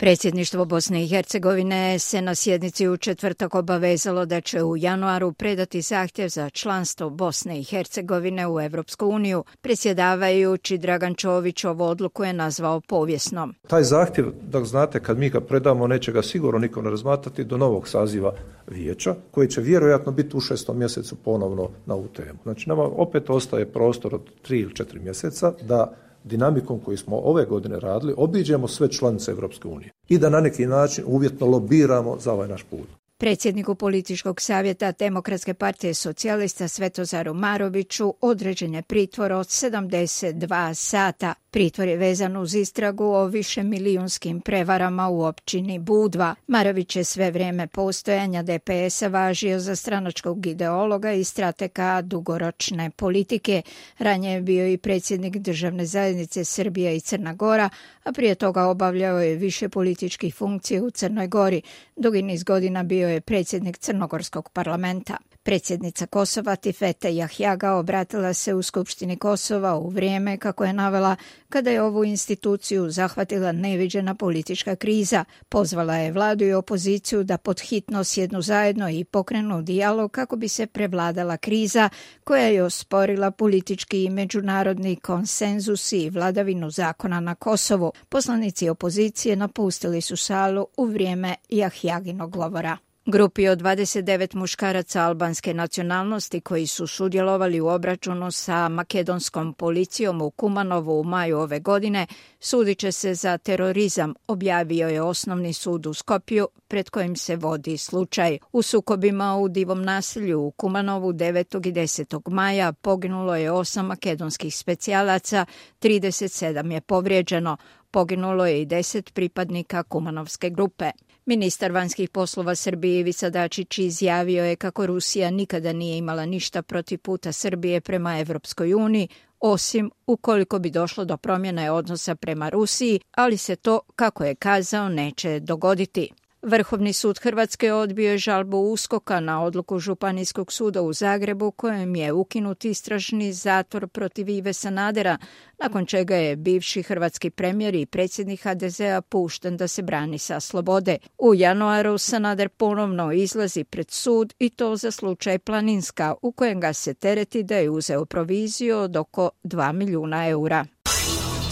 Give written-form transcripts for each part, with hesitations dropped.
Predsjedništvo Bosne i Hercegovine se na sjednici u četvrtak obavezalo da će u januaru predati zahtjev za članstvo Bosne i Hercegovine u Europsku uniju. Predsjedavajući Dragan Čović ovu odluku je nazvao povijesnom. Taj zahtjev, da znate, kad mi ga predamo, neće ga sigurno niko ne razmatrati do novog saziva vijeća, koji će vjerojatno biti u 6. mjesecu ponovno na ovu temu. Znači, nama opet ostaje prostor od 3 ili 4 mjeseca da dinamikom koju smo ove godine radili obiđemo sve članice Europske unije i da na neki način uvjetno lobiramo za ovaj naš put. Predsjedniku političkog savjeta Demokratske partije socijalista Svetozaru Maroviću određen je pritvor od 72 sata. Pritvor je vezan uz istragu o višemilijunskim prevarama u općini Budva. Marović je sve vrijeme postojanja DPS-a važio za stranačkog ideologa i stratega dugoročne politike. Ranije je bio i predsjednik državne zajednice Srbija i Crna Gora, a prije toga obavljao je više političkih funkcija u Crnoj Gori. Dugi niz godina bio je predsjednik Crnogorskog parlamenta. Predsjednica Kosova Tifete Jahjaga obratila se u Skupštini Kosova u vrijeme, kako je navela, kada je ovu instituciju zahvatila neviđena politička kriza. Pozvala je vladu i opoziciju da podhitno sjednu zajedno i pokrenu dijalog kako bi se prevladala kriza koja je osporila politički i međunarodni konsenzus i vladavinu zakona na Kosovu. Poslanici opozicije napustili su salu u vrijeme Jahjaginog govora. Grupi od 29 muškaraca albanske nacionalnosti koji su sudjelovali u obračunu sa makedonskom policijom u Kumanovu u maju ove godine sudit će se za terorizam, objavio je Osnovni sud u Skopju pred kojim se vodi slučaj. U sukobima u Divom naselju u Kumanovu 9. i 10. maja poginulo je 8 makedonskih specijalaca, 37 je povrijeđeno. Poginulo je i 10 pripadnika Kumanovske grupe. Ministar vanjskih poslova Srbije Ivica Dačić izjavio je kako Rusija nikada nije imala ništa protiv puta Srbije prema Evropskoj uniji, osim ukoliko bi došlo do promjene odnosa prema Rusiji, ali se to, kako je kazao, neće dogoditi. Vrhovni sud Hrvatske odbio je žalbu USKOK-a na odluku Županijskog suda u Zagrebu kojem je ukinut istražni zatvor protiv Ive Sanadera, nakon čega je bivši hrvatski premijer i predsjednik HDZ-a pušten da se brani sa slobode. U januaru Sanader ponovno izlazi pred sud i to za slučaj Planinska, u kojem ga se tereti da je uzeo proviziju od oko 2 milijuna eura.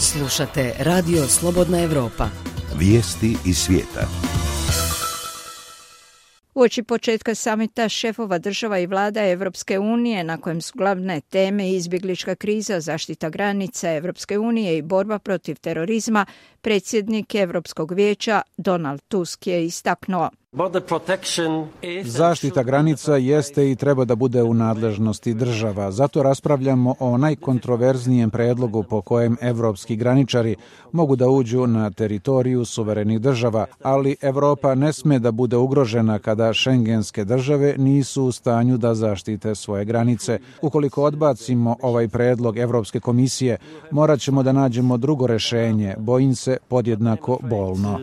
Slušate Radio Slobodna Evropa. Vijesti iz svijeta. Uoči početka samita šefova država i vlada Evropske unije, na kojem su glavne teme izbjeglička kriza, zaštita granica Evropske unije i borba protiv terorizma, predsjednik Europskog vijeća Donald Tusk je istaknuo: Zaštita granica jeste i treba da bude u nadležnosti država. Zato raspravljamo o najkontroverznijem predlogu po kojem evropski graničari mogu da uđu na teritoriju suverenih država, ali Evropa ne sme da bude ugrožena kada šengenske države nisu u stanju da zaštite svoje granice. Ukoliko odbacimo ovaj predlog Evropske komisije, morat ćemo da nađemo drugo rešenje, bojim se podjednako bolno.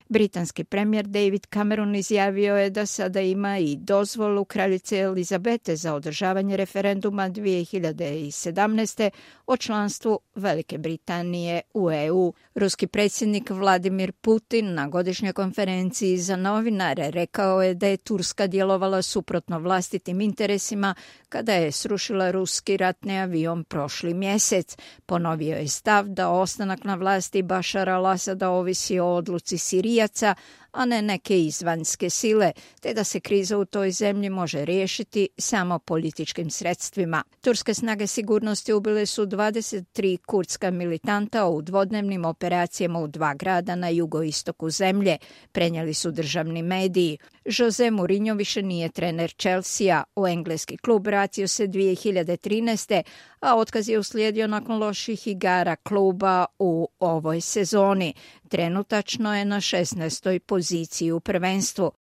Britanski premijer David Cameron izjavio je da sada ima i dozvolu kraljice Elizabete za održavanje referenduma 2017. o članstvu Velike Britanije u EU. Ruski predsjednik Vladimir Putin na godišnjoj konferenciji za novinare rekao je da je Turska djelovala suprotno vlastitim interesima kada je srušila ruski ratni avion prošli mjesec. Ponovio je stav da ostanak na vlasti Bašara al-Asada ovisi o odluci Sirijaca, a ne neke izvanjske sile, te da se kriza u toj zemlji može riješiti samo političkim sredstvima. Turske snage sigurnosti ubile su 23 kurdska militanta u dvodnevnim operacijama u 2 grada na jugoistoku zemlje, prenijeli su državni mediji. Jose Mourinho više nije trener Chelsea, u engleski klub vratio se 2013. a otkaz je uslijedio nakon loših igara kluba u ovoj sezoni. Trenutačno je na 16. poziciji u prvenstvu.